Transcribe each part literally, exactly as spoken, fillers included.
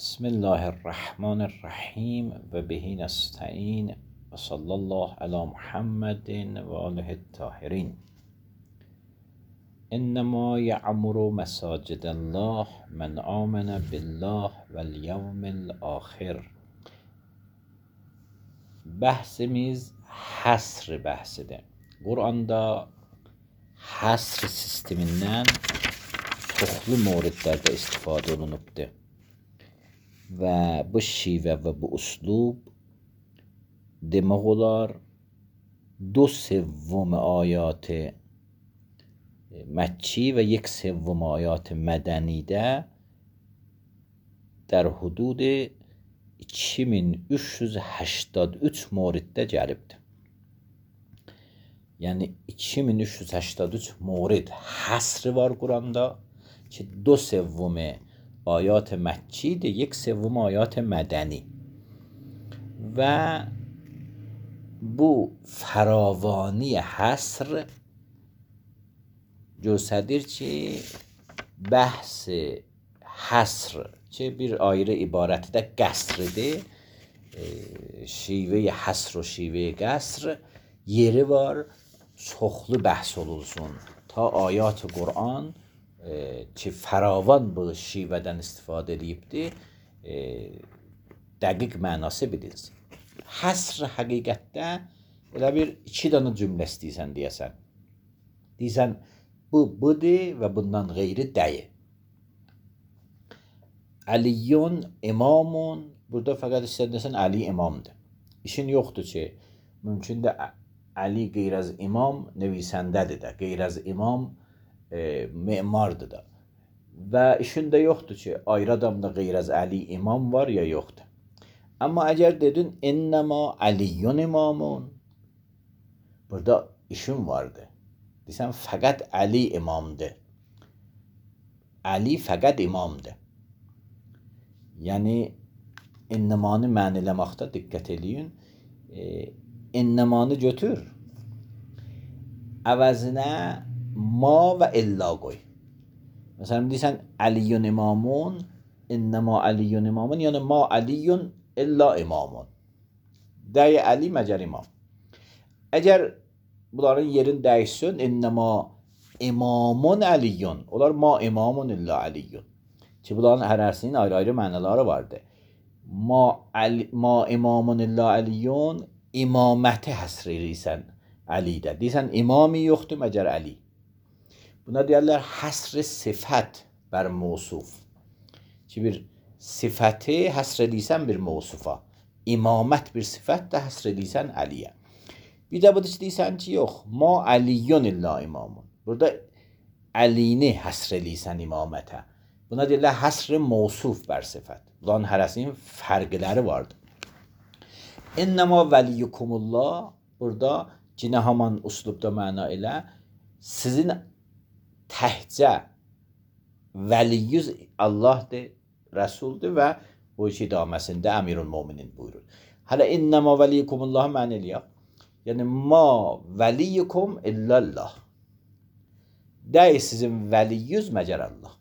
بسم الله الرحمن الرحیم و به نستعین و صلی الله علی محمد و آله الطاهرین. انما یعمر مساجد الله من آمن بالله و الیوم الاخر. Bəhsimiz həsr bəhsidir. Quranda həsr sistemindən çoxlu mövridlərdə istifadə olunubdur. Və bu şivə və bu uslub demək olar دو سوم آیات مکی و یک سوم آیات مدنیده در حدود iki min üç yüz həştad üç موردdə gəlibdir. Yəni iki min üç yüz həştad üç mورد həsri var Quranda ki دو سوم آیات مکی ده یک سوم آیات مدنی و bu fəravani həsr göstərir ki, bəhs həsr ki, bir ayrı ibarəti də qəsridir. E, şivə həsr و şivə qəsr yeri var, çoxlu bəhs olunsun. Ta ayat Qur'an e, ki, fəravan bu şivədən istifadə edibdir, e, dəqiq mənası bilinsin. Həsr həqiqətdə elə bir iki dənə cümlə istəyirsən deyəsən. Deyəsən, bu budur və bundan qeyri deyil. Əliyyun imamun, burada fəqət istəyirsən Əli imamdır. İşin yoxdur ki, mümkün də Əli qeyr az imam nevisəndədir də, qeyr az imam e, memardır da. Və işin də yoxdur ki, ayrı adamda qeyr az Əli imam var ya yoxdur. Amma əgər dedin ennəma əliyyun imamun, burada işin vardı. Deysən fəqət Əli imamdır. Əli fəqət imamdır. Yəni ennəmanı məniləməkdə diqqət eləyin. E, ennəmanı götür. Əvəzinə ma və illa qoy. Məsələn deysən əliyyun imamun, ennəma əliyyun imamun, yəni ma əliyyun İlla imamun. Dəy Əli məgər imam. Əgər bunların yerin dəyişsin, innəma imamun əliyyun. Onlar ma imamun illa əliyyun. Ki bunların hərəsinin ayrı-ayrı mənaları vardır. Ma, əli, ma imamun illa əliyyun imaməti həsr edirsən Əlidə. Deyirsən imami yoxdur məgər Əli. Buna deyərlər həsr sifət bər mövsuf. Ki bir sifəti həsr edirsən bir mövsufa. İmamət bir sifət də həsr edirsən Əliyə. Bir də budur ki, deyirsən ki, yox, ma əliyyun illa imamun. Burada Əlini həsr edirsən imamətə. Buna deyirlər həsr mövsuf bər sifət. Bunların hərəsinin fərqləri vardır. İnnəma vəliyyukumullah, burada cinə haman uslubda məna elə, sizin təhcə vəliyyüz Allahdır, Rəsuldur və o iki idaməsində Əmirül Möminin buyurur. Hələ innəma vəliyyukumullah mənə eləyək. Yəni, ma vəliyyukum illallah. Dəy sizin vəliyyüz məgər Allah.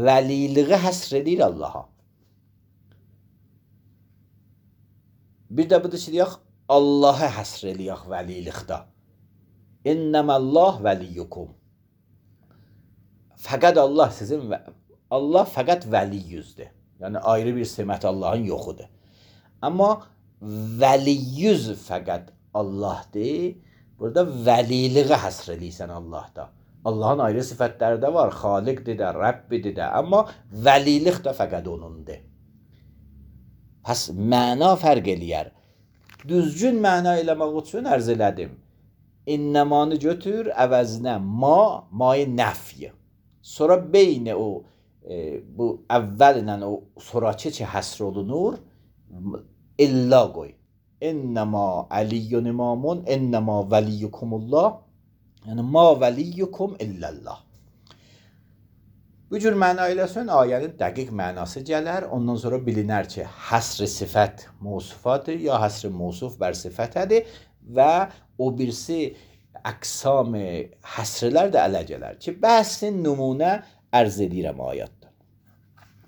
Vəliliği həsr edir Allaha. Bir də budur ki, deyək, Allahı həsr eləyək vəlilikdə. İnnəməllah vəliyyukum. Fəqət Allah sizin və Allah fəqət vəliyyüzdür. Yəni ayrı bir semət Allahın yoxudur. Amma vəliyyüz fəqət Allahdır. Burada vəliliği həsr edirsən Allahda. Allahın ayrı sifətləri də var. Xaliqdir də, Rəbbidir də. Amma vəlilik də fəqət onundur. Pəs məna fərq eləyər. Düzgün məna eləmək üçün ərz elədim. İnnəmanı götür, əvəzinə ma, may nəfy. Sonra beynə o E, bu əvvəllə o sonrakı ki həsr olunur illa qoy. İnnəma əliyyun imamun, innəma vəliyyukumullah. Yəni ma vəliyyukum illallah. Bu cür məna eləsən ayənin dəqiq mənası gələr. Ondan sonra bilinər ki, həsr sifət mövsufadır ya həsr mövsuf bər sifətədir və o birisi əqsam həsrlər də ələ gələr ki, bəhsin nümunə ərz edirəm ayətdə.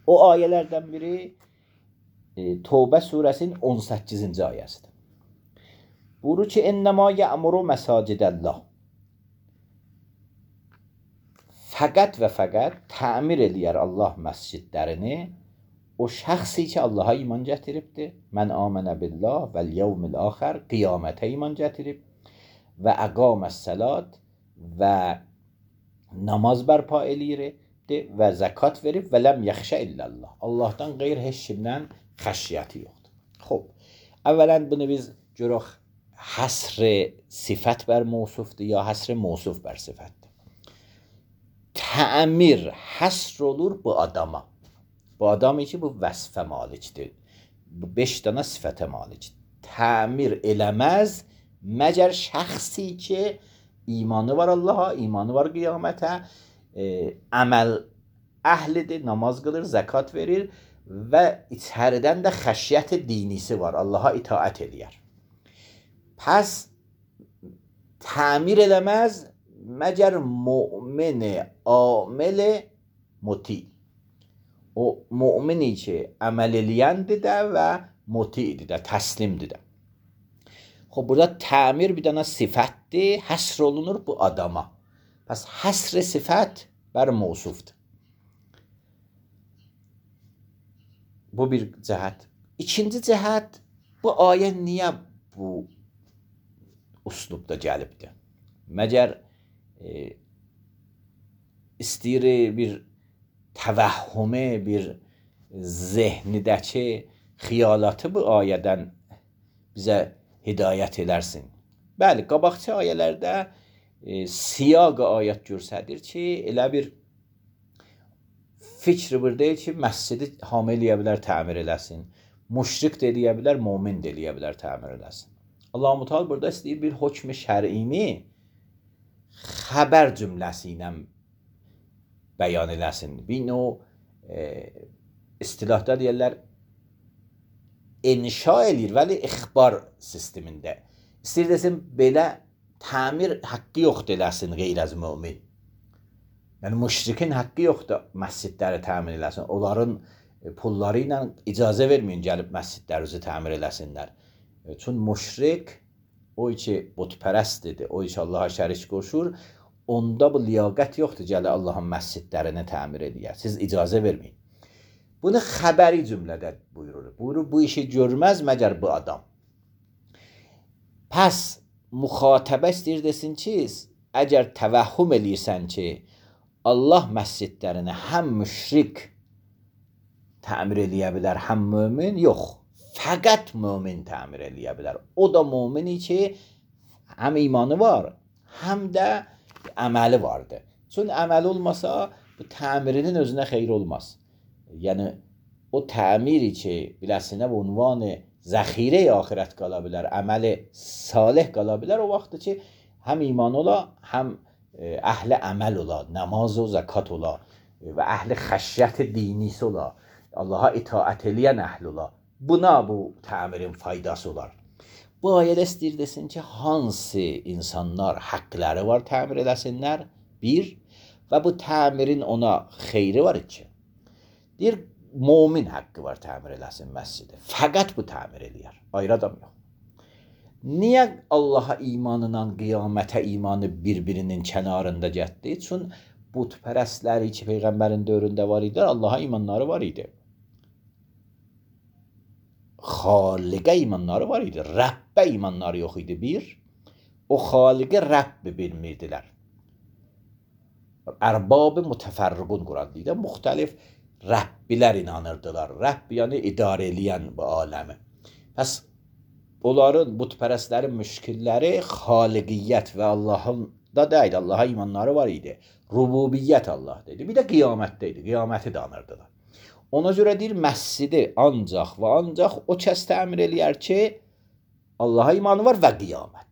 O ayələrdən biri e, Tövbə surəsinin on səkkizinci ayəsidir. Buyurur ki, "Ennema ya'muru məsacidəllah." Fəqət və fəqət təmir eləyər Allah məscidlərini o şəxsi ki, Allaha iman gətiribdir. Mən amənə billah vəl yevmil axir, qiyamətə iman gətirib və əqaməs-səlat və namaz bərpa eləyirdi və zəkat verib və ləm yaxşə illallah. Allahdan qeyr heç kimdən xəşyəti yoxdur. Xoş. Əvvələn bunu biz görək həsr sifət bər mövsufdur ya həsr mövsuf bər sifətdir. Təmir həsr olur bu adama. Bu adamı ki, bu vəsfə malikdir. Bu beş dənə sifətə malikdir. Təmir eləməz məgər şəxsi ki, imanı var Allaha, imanı var qiyamətə, e, əməl əhlidir, namaz qılır, zəkat verir və içəridən də xəşyət dinisi var, Allaha itaət eləyər. Pəs təmir eləməz məgər mümin amel muti. O mümini ki, əməl eləyəndir də və mutidir də, təslimdir də. Xoş, burada təmir bir dənə sifətdir, həsr olunur bu adama. Pəs həsr sifət bər mövsufdur. Bu bir cəhət. İkinci cəhət, bu ayə niyə bu üslubda gəlibdir? Məgər e, istəyir bir təvəhhümü, bir zehnidəki xiyalatı bu ayədən bizə hidayət elərsin. Bəli, qabaqçı ayələrdə e, siyaq ayət göstərir ki, elə bir fikr burada ki, məscidi hamı eləyə bilər, təmir eləsin. Müşrik də eləyə bilər, mömin də eləyə bilər, təmir eləsin. Allah-u Teala burada istəyir bir hökm şər'ini xəbər cümləsi ilə bəyan eləsin. Bir növ e, istilahda deyirlər inşa eləyir, vəli ixbar sistemində. İstəyir desin, belə təmir haqqı yoxdur eləsin qeyr az mömin. Yəni, müşrikin haqqı yoxdur məscidləri təmir eləsin. Onların pulları ilə icazə verməyin, gəlib məscidlərinizi təmir eləsinlər. Çün müşrik, o ki, butpərəstdir, o ki, Allaha şərik qoşur, onda bu liyaqət yoxdur, gələ Allahın məscidlərini təmir edir. Siz icazə verməyin. Bunu xəbəri cümlədə buyurur. Buyurur, bu işi görməz məgər bu adam. Pəs, müxatəbə istəyir desin ki, əgər təvəhhüm eləyirsən ki, Allah məscidlərini həm müşrik təmir eləyə bilər, həm mömin, yox. Fəqət mömin təmir eləyə bilər. O da mömini ki, həm imanı var, həm də əməli vardır. Çün əməli olmasa, bu təmirinin özünə xeyr olmaz. Yəni, o təmiri ki, biləsinə bu unvanı zəxirə axirət qala bilər, əməli salih qala bilər, o vaxtdır ki, həm iman ola, həm əhli əməl ola, namaz o, zəkat ola və əhli xəşyət dinisi ola, Allaha itaət eləyən əhl ola. Buna bu təmirin faydası olar. Bu ayədə istəyir desin ki, hansı insanlar haqqları var təmir eləsinlər? Bir, və bu təmirin ona xeyri var iki. Deyir, mömin haqqı var təmir eləsin məscidi. Fəqət bu təmir eləyər. Ayrı adam yox. Niyə Allaha imanla qiyamətə imanı bir-birinin kənarında getdi? Çün butpərəstləri ki, Peyğəmbərin dövründə var idi, Allaha imanları var idi. Xaliqə imanları var idi. Rəbbə imanları yox idi bir. O xaliqə Rəbbi bilmirdilər. Ərbab-ı mütəfərriqun qurandıydı. Müxtəlif Rəbbilər inanırdılar. Rəbb yəni idarə eləyən bu aləmi. Pəs onların, butpərəstlərin müşkilləri xaliqiyyət və Allahın da deyildi. Allaha imanları var idi. Rububiyyət Allah dedi. Bir də qiyamətdə idi. Qiyaməti də anırdılar. Ona görə deyir, məscidi ancaq və ancaq o kəs təmir eləyər ki, Allaha imanı var və qiyamət.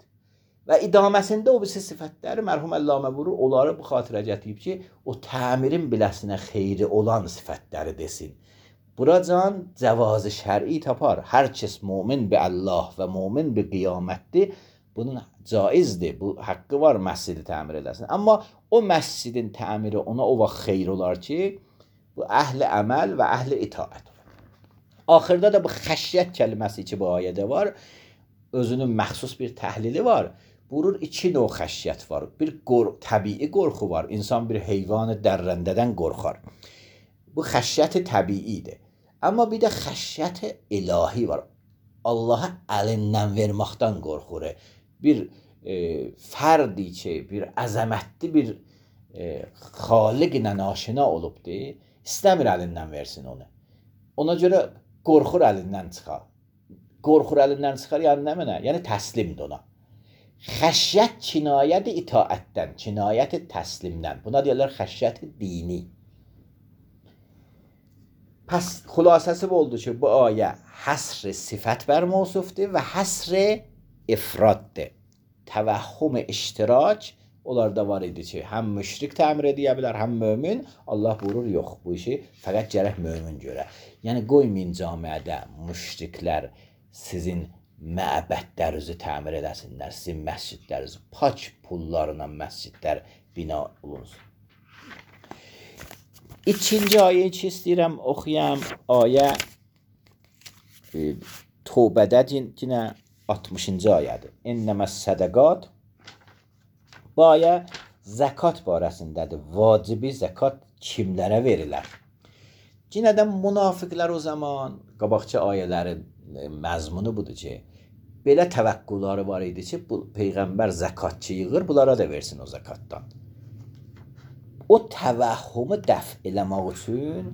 Və idaməsində o birisi sifətləri mərhum Əllamə vurur, onları bu xatirə gətirib ki, o təmirin biləsinə xeyri olan sifətləri desin. Buracan cəvazı şər'i tapar. Hər kəs mömin bi Allah və mömin bi qiyamətdir. Bunun caizdir, bu haqqı var məscidi təmir eləsin. Amma o məscidin təmiri ona o vaxt xeyr olar ki, Bu əhl-i əməl və əhl-i itaət. Axırda da bu xəşyət kəlməsi ki, bu ayədə var, özünün məxsus bir təhlili var. Buyurur, iki növ xəşyət var. Bir təbii qorxu var. İnsan bir heyvanı dərrəndədən qorxar. Bu xəşyət təbiidir. Amma bir də xəşyət ilahi var. Allah'a əlindən verməkdən qorxur. Bir e, fərdi ki, bir əzəmətli bir e, xaliqlə aşina olubdur, istəmir əlindən versin onu. Ona görə qorxur əlindən çıxar. Qorxur əlindən çıxar, yəni nə mənə? Yəni təslimdir ona. Xəşyət kinayət itaətdən, kinayət təslimdən. Buna deyirlər xəşyət dini. Pəs xülasəsi bu oldu ki, bu ayə həsr sifət bər mövsufdur və həsr ifraddır. Təvəhhüm iştirak onlarda var idi ki, həm müşrik təmir edə bilər, həm mömin. Allah buyurur, yox, bu işi fəqət gərək mömin görə. Yəni qoymayın camiədə müşriklər sizin məbədlərinizi təmir eləsinlər, sizin məscidlərinizi, pak pullarla məscidlər bina olunsun. İkinci ayəyi ki, istəyirəm oxuyam, ayə e, Tövbədə yenə altmışıncı ayədir. İnnəməs sədəqat. Bu ayə zəkat barəsindədir. Vacibi zəkat kimlərə verilər? Yenə də münafiqlər o zaman, qabaqçı ayələrin məzmunu budur ki, belə təvəqqüləri var idi ki, bu Peyğəmbər zəkatçı yığır, bunlara da versin o zəkatdan. O təvəhhümü dəf eləmək üçün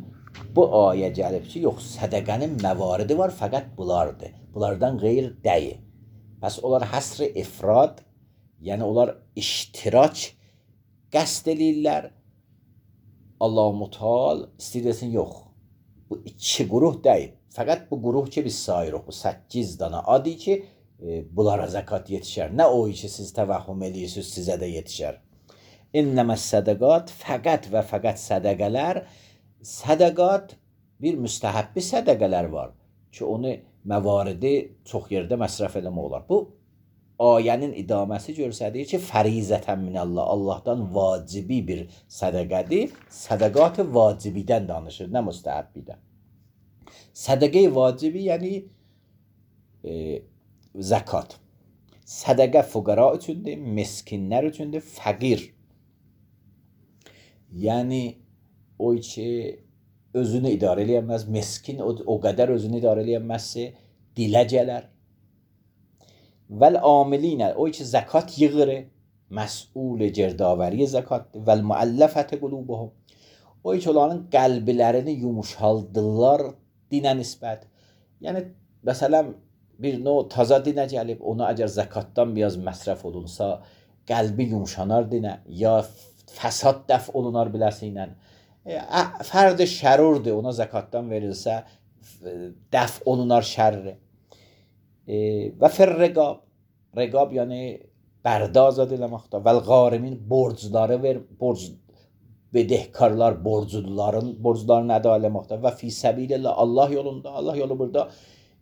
bu ayə gəlib ki, yox, sədəqənin məvaridi var, fəqət bunlardır. Bunlardan qeyr deyil. Pəs onlar həsr ifrad, yəni onlar iştirak qəsd eləyirlər. Allah-u Mutal istəyirsin, yox, bu iki quruh deyil. Fəqət bu quruh ki, biz sayırıq, bu səkkiz dana adı ki, e, bunlara zəkat yetişər. Nə o ki, siz təvəhhüm eləyirsiniz, sizə də yetişər. İnnəməs sədəqat, fəqət və fəqət sədəqələr, sədəqat bir müstəhəbbi sədəqələr var ki, onu məvaridi çox yerdə məsrəf eləmək olar. Bu ayənin idaməsi göstərir ki, fərizətən minəllah, Allahdan vacibi bir sədəqədir. Sədəqat vacibidən danışır, nə müstəhəbbidən. Sədəqə vacibi yəni e, zəkat. Sədəqə fuqara üçündür, miskinlər üçündür, fəqir. Yəni o ki özünü idarə eləyəməz, miskin o, o qədər özünü idarə eləyəməzsə dilə gələr. Vəl amilinə, o ki zəkat yığır, məsul cərdavəri zəkatdır. Vəl müəlləfət qulubuhum, o ki onların qəlblərini yumuşaldırlar dinə nisbət. Yəni, məsələn, bir növ taza dinə gəlib, ona əgər zəkatdan biraz məsrəf olunsa, qəlbi yumuşanar dinə, ya fəsad dəf olunar biləsinlə. E, fərdi şərurdur, ona zəkatdan verilsə, dəf olunar şərri. E, və fir rəqab, rəqab yəni bərdə azad eləməkdə. Vəl qarimin borcları ver, borc bedehkarlar, borcluların borclarını əda eləməkdə və fi səbilillah, Allah yolunda, Allah yolu burada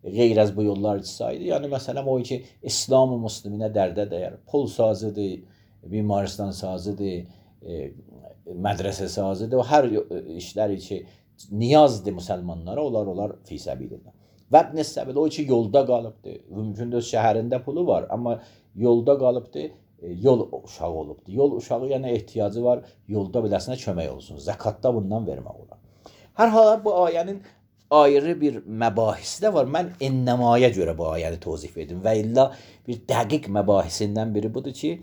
qeyr az bu yollar saydı. Yəni məsələn o ki, İslam-ı müsliminə dərdə dəyər, pul sazıdır, bimaristan sazıdır, e, mədrəsə sazıdır, o hər işləri ki, niyazdır müsəlmanlara, onlar onlar fi səbilillah. Və ibn səbil, o ki, yolda qalıbdır, mümkündür şəhərində pulu var, amma yolda qalıbdır, yol uşağı olubdur. Yol uşağı yəni ehtiyacı var, yolda biləsinə kömək olsun. Zəkatda bundan vermək olar. Hər hala bu ayənin ayrı bir məbahisi də var. Mən ennəmaya görə bu ayəni tozif edim və illa bir dəqiq məbahisindən biri budur ki,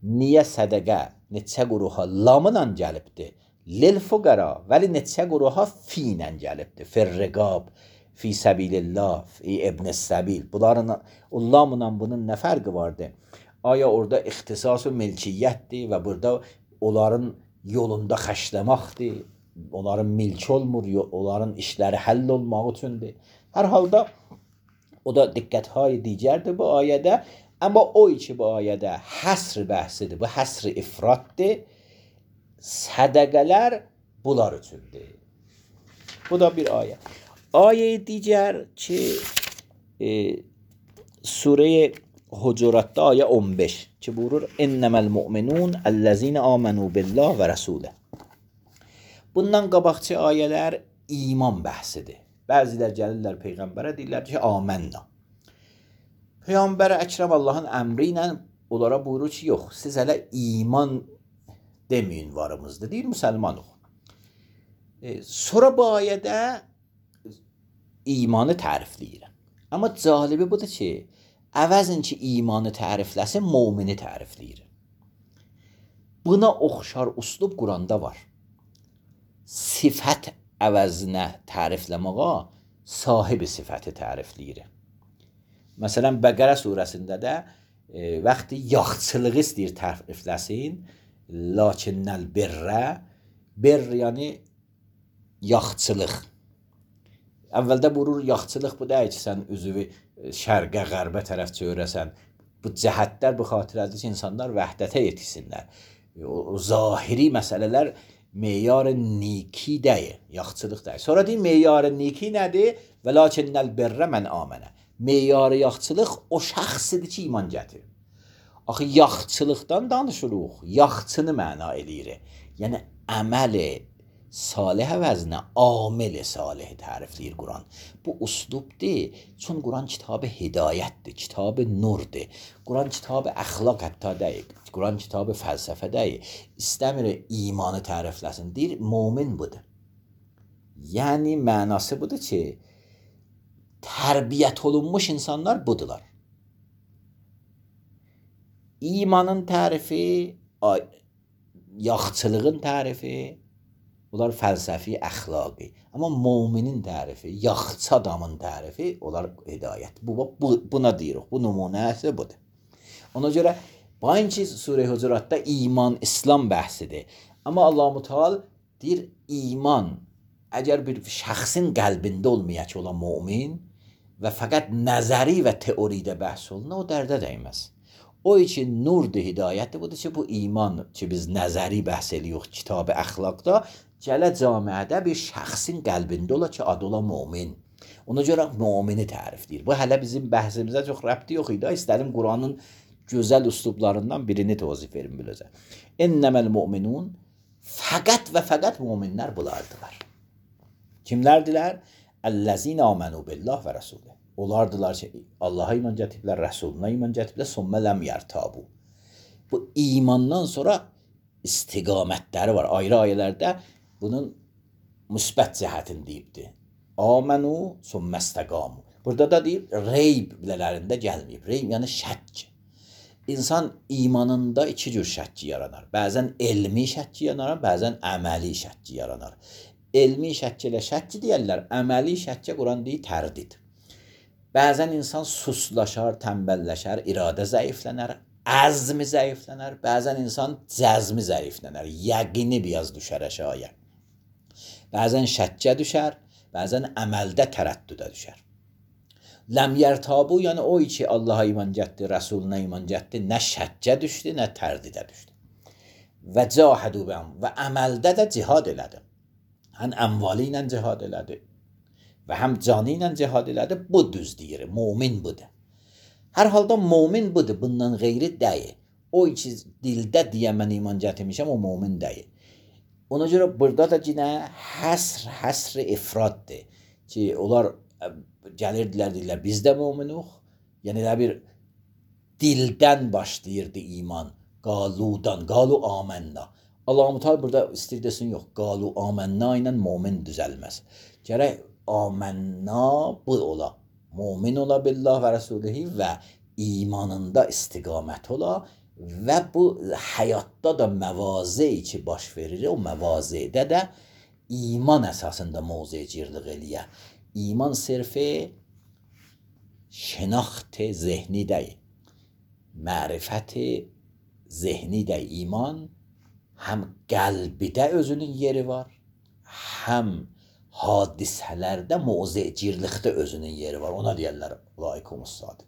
niyə sədəqə neçə quruha lamla gəlibdir? Lil fuqara, vəli neçə quruha finə gəlibdir. Firriqab, fi səbilillah, fi ibn səbil. Bunların, o lamla bunun nə fərqi vardır? Aya orada ixtisas və milkiyyətdir və burada onların yolunda xəşləməkdir, onların milki olmur, onların işləri həll olmaq üçündür. Hər halda o da diqqət-hay digərdir bu ayədə, amma o ki bu ayədə həsr bəhsidir, bu həsr ifraddır, sədəqələr bunlar üçündür. Bu da bir ayə. Ayə digər ki, e, Surə Hucuratda ayə on beş ki buyurur İnnəməl mu'minun əllezine amenu billah və rəsulə. Bundan qabaqçı ayələr iman bəhsidir. Bəzilər gəlirlər Peyğəmbərə deyirlər ki, amənna. Peyğəmbər Əkrəm Allahın əmri ilə onlara buyurur ki, yox, siz hələ iman deməyin varımızdır, deyir, müsəlmanıq. E, sonra bu ayədə imanı tərifləyir. Amma calibi budur ki, əvəzin ki, imanı tərifləsin, mümini tərifləyir. Buna oxşar uslub Quranda var. Sifət əvəzinə tərifləməğa sahibi sifəti tərifləyir. Məsələn, Bəqərə surəsində də e, vaxtı yaxçılığı istəyir tərifləsin, lakinnəl birrə, bir yəni yaxçılıq. Əvvəldə buyurur, yaxçılıq bu deyil ki, sən üzvü şərqə, qərbə tərəf çevirəsən. Bu cəhətlər bu xatirədir ki, insanlar vəhdətə yetişsinlər. O, o zahiri məsələlər meyar niki deyil, yaxçılıq deyil. Sonra deyil, meyar niki nədir? Və lakinnəl birrə mən amənə. Meyar yaxçılıq o şəxsidir ki, iman gətirir. Axı, yaxçılıqdan danışırıq, yaxçını məna eləyir. Yəni, əməli salih əvəzinə amel-i salih tərifləyir Quran. Bu uslubdir, çün Quran kitabı hidayətdir, kitabı nurdur. Quran kitabı əxlaq hətta deyil, Quran kitabı fəlsəfə deyil. İstəmir imanı tərifləsin, deyir, mümin budur. Yəni, mənası budur ki, tərbiyyət olunmuş insanlar budular. İmanın tərifi, yaxçılığın tərifi, onlar fəlsəfi, əxlaqi. Amma müminin tərifi, yaxçı adamın tərifi, onlar hidayət. Bu, bu, buna deyirik, bu nümunəsi budur. Ona görə, bainki Surə-i Hucuratda iman, İslam bəhsidir. Amma Allah-u Teala deyir, iman, əgər bir şəxsin qəlbində olmaya ki, olan mümin və fəqət nəzəri və teoridə bəhs olunur, o dərdə dəyməz. O için nurdur, hidayətdir, budur ki, bu iman ki, biz nəzəri bəhs edirik kitab-ı əxlaqda, gələ camiədə bir şəxsin qəlbində ola ki, adı ola mümin. Ona görə mümini tərifləyir. Bu, hələ bizim bəhsimizə çox rəbti yox idi. İstədim Quranın gözəl üslublarından birini tozif verim biləcə. Ennəməl müminun, fəqət və fəqət müminlər bulardılar. Kimlərdilər? Əl-ləzine amenu billah və rəsulü. Onlardılar ki, Allaha iman gətiriblər, Rəsuluna iman gətiriblər, sümmə ləm yərtabu. Bu imandan sonra istiqamətləri var. Ayrı ayələrdə bunun müsbət cəhətini deyibdir. Amenu sümmə istəqamu. Burada da deyib, reyb bilələrində gəlməyib. Reyb yəni şəkk. İnsan imanında iki cür şəkki yaranar. Bəzən elmi şəkki yaranar, bəzən əməli şəkki yaranar. Elmi şəkki ilə şəkki deyərlər, əməli şəkki Quran deyir, tərdid. Bəzən insan suslaşar, tənbəlləşər, iradə zəiflənər, əzmi zəiflənər, bəzən insan cəzmi zəiflənər, yəqini biraz düşər əşaya. Bəzən şəkkə düşər, bəzən əməldə tərəddüdə düşər. Ləm yərtabu, yəni o ki, Allaha iman gətdi, Rəsuluna iman gətdi, nə şəkkə düşdü, nə tərdidə düşdü. Və cahədu bəm, və əməldə də cihad elədi. Həm əmvali ilə cihad elədi. Və həm canı ilə cihad elədi, bu düz deyir, mümin budur. Hər halda mümin budur, bundan qeyri deyil. O ki, dildə deyə mən iman gətirmişəm, o mümin deyil. Ona görə burada da yine həsr, həsr ifraddır ki, onlar gəlirdilər, deyirlər, biz də müminuq. Yəni, bir dildən başlayırdı iman, qaludan, qalu amənna. Allah-u Teala burada istəyir desin, yox, qalu amənna ilə mümin düzəlməz. Gərək amənna bu ola, mümin ola billah və rəsulihi və imanında istiqamət ola və bu həyatda da məvazi ki baş verir, o məvazidə də iman əsasında mövzecirlik eləyə. İman sirfi şənaxt zehni deyil, mərifət zehni deyil. İman həm qəlbidə özünün yeri var, həm hadisələrdə mövzecirlikdə özünün yeri var. Ona deyərlər, laikumus sadiq.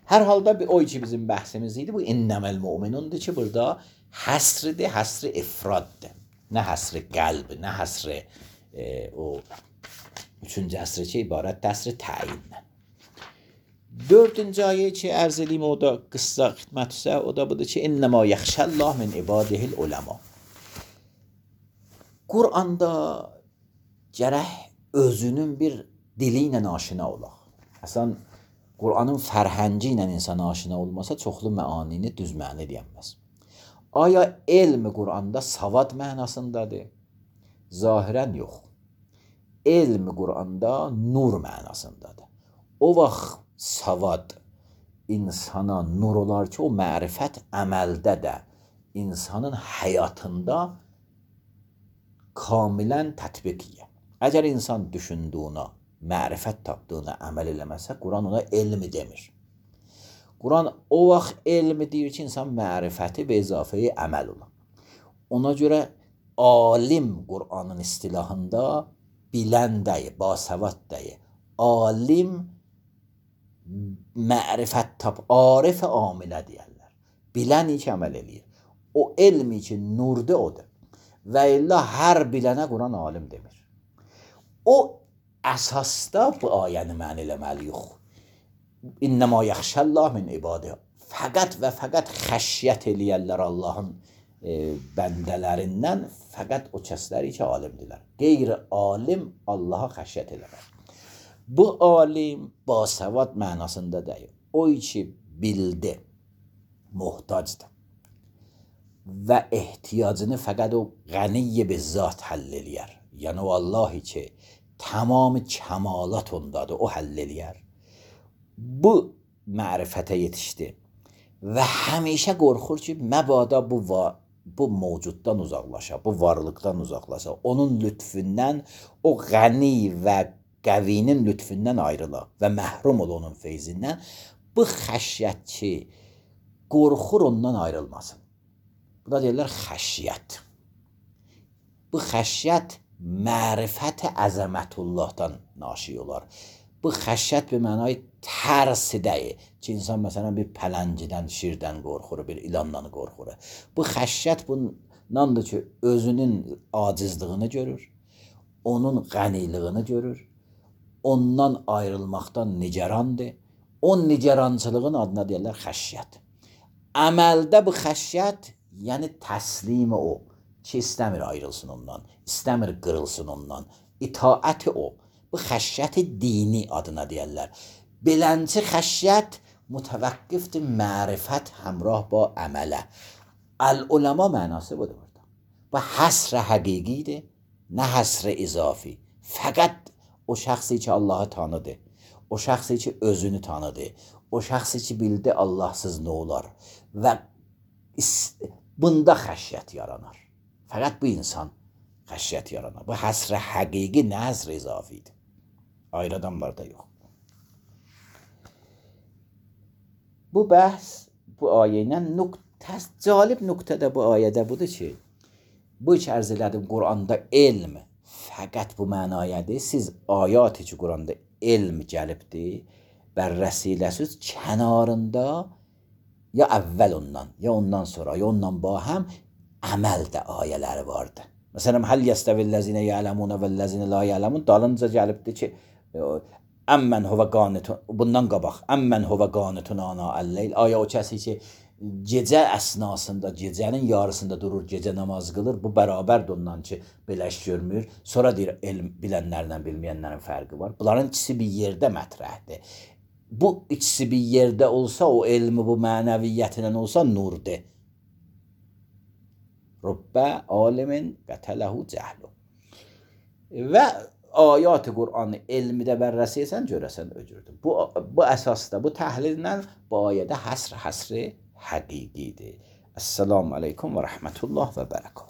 Hər halda bir o ki bizim bəhsimiz idi, bu innəməl müminundur ki, burada həsridir, həsri ifraddır. Nə həsri qəlb, nə həsri e, o üçüncü həsri ki, ibarət həsri təyinlə. Dördüncü ayə ki, ərz edeyim, o da qıssa xidmətsə, o da budur ki, innəmə yaxşəllah min ibadihil uləma. Quranda gərək özünün bir dili ilə aşina olaq. Əslən, Qur'anın fərhəngi ilə insan aşina olmasa çoxlu məanini düz məna deyəməz. Aya elm Qur'anda savad mənasındadır? Zahirən yox. Elm Qur'anda nur mənasındadır. O vaxt savad insana nur olar ki, o mərifət əməldə də insanın həyatında kamilən tətbiqiyə. Əgər insan düşündüyünə, mərifət tapdığına əməl eləməsə, Quran ona elmi demir. Quran o vaxt elmi deyir ki, insan mərifəti və izafəyi əməl ola. Ona görə alim Quranın istilahında bilən dəyi, basavad dəyi. Alim mərifət tap, arif amilə deyərlər. Bilən ki, əməl eləyir. O elmi ki, nurdur odur. Və illa hər bilənə Quran alim demir. O əsasda bu ayəni mən eləməli yox. İnnəmə yaxşəllah min ibadə. Fəqət və fəqət xəşyət eləyərlər Allahın e, bəndələrindən, fəqət o kəsləri ki, alimdirlər. Qeyri-alim Allaha xəşyət eləmər. Bu alim basavad mənasında deyil. O ki, bildi, muhtacdır. Və ehtiyacını fəqət o qəniyyə bizzat həll eləyər. Yəni o Allahi ki, tamam kəmalat ondadır, o həll eləyər. Bu mərifətə yetişdi və həmişə qorxur ki, məbada bu, bu mövcuddan uzaqlaşa, bu varlıqdan uzaqlaşa, onun lütfündən, o qəni və qəvinin lütfündən ayrıla və məhrum ol onun feyzindən. Bu xəşyət ki, qorxur ondan ayrılmasın. Bu da deyirlər xəşyət. Bu xəşyət mərifət əzəmətullahdan naşi olar. Bu xəşyət bir mənayı tərsi deyil ki, insan məsələn bir pələngidən, şirdən qorxur, bir ilandan qorxur. Bu xəşyət bundandır ki, özünün acizliyini görür, onun qəniliyini görür, ondan ayrılmaqdan nigarandır. O nigarançılığın adına deyirlər xəşyət. Əməldə bu xəşyət, yəni təslimi o ki, istəmir ayrılsın ondan, istəmir qırılsın ondan, itaəti o. Bu xəşyəti dini adına deyərlər. Belənci xəşyət mütəvəqqifdir mərifət həmrah ba əmələ. Əl-uləma mənası budur burada. Bu həsr həqiqidir, nə həsr izafi. Fəqət o şəxsi ki, Allahı tanıdı, o şəxsi ki, özünü tanıdı, o şəxsi ki, bildi Allahsız nə olar və bunda xəşyət yaranar. Fəqət bu insan xəşyət yaranar. Bu həsr həqiqi, nə həsr izafidir. Ayrı adamlarda yox. Bu bəhs, bu ayə ilə nöqtə, cəlib nöqtə də bu ayədə budur ki, bu iki ərz elədim, Quranda elm fəqət bu mənayədir. Siz ayat-ı ki, Quranda elm gəlibdir, bərrəsiləsiz kənarında ya əvvəl ondan, ya ondan sonra, ya ondan bahəm əməl də ayələri vardı. Məsələn, həl yəstəvillezine ya'lemune vellezine la ya'lemun dalınca gəlibdir ki, əmmən huvə qanitun, bundan qabaq, əmmən huvə qanitun ana əlleyl, aya o kəsi ki, gecə əsnasında, gecənin yarısında durur, gecə namaz qılır, bu bərabərdir ondan ki, belə iş görmür. Sonra deyir, elm bilənlərlə bilməyənlərin fərqi var. Bunların ikisi bir yerdə mətrəhdir. Bu ikisi bir yerdə olsa, o elmi bu mənəviyyətinə olsa, nurdur. Rübbə alimin qətələhu cəhlu. Və ayat-ı Qur'anı elmidə bərrəsiyəsən, görəsən öcürdür. Bu, bu əsasda, bu təhlillə bu ayədə həsr həsri həqiqidir. Əssalamu aleykum və rəhmətullah və bərəkət.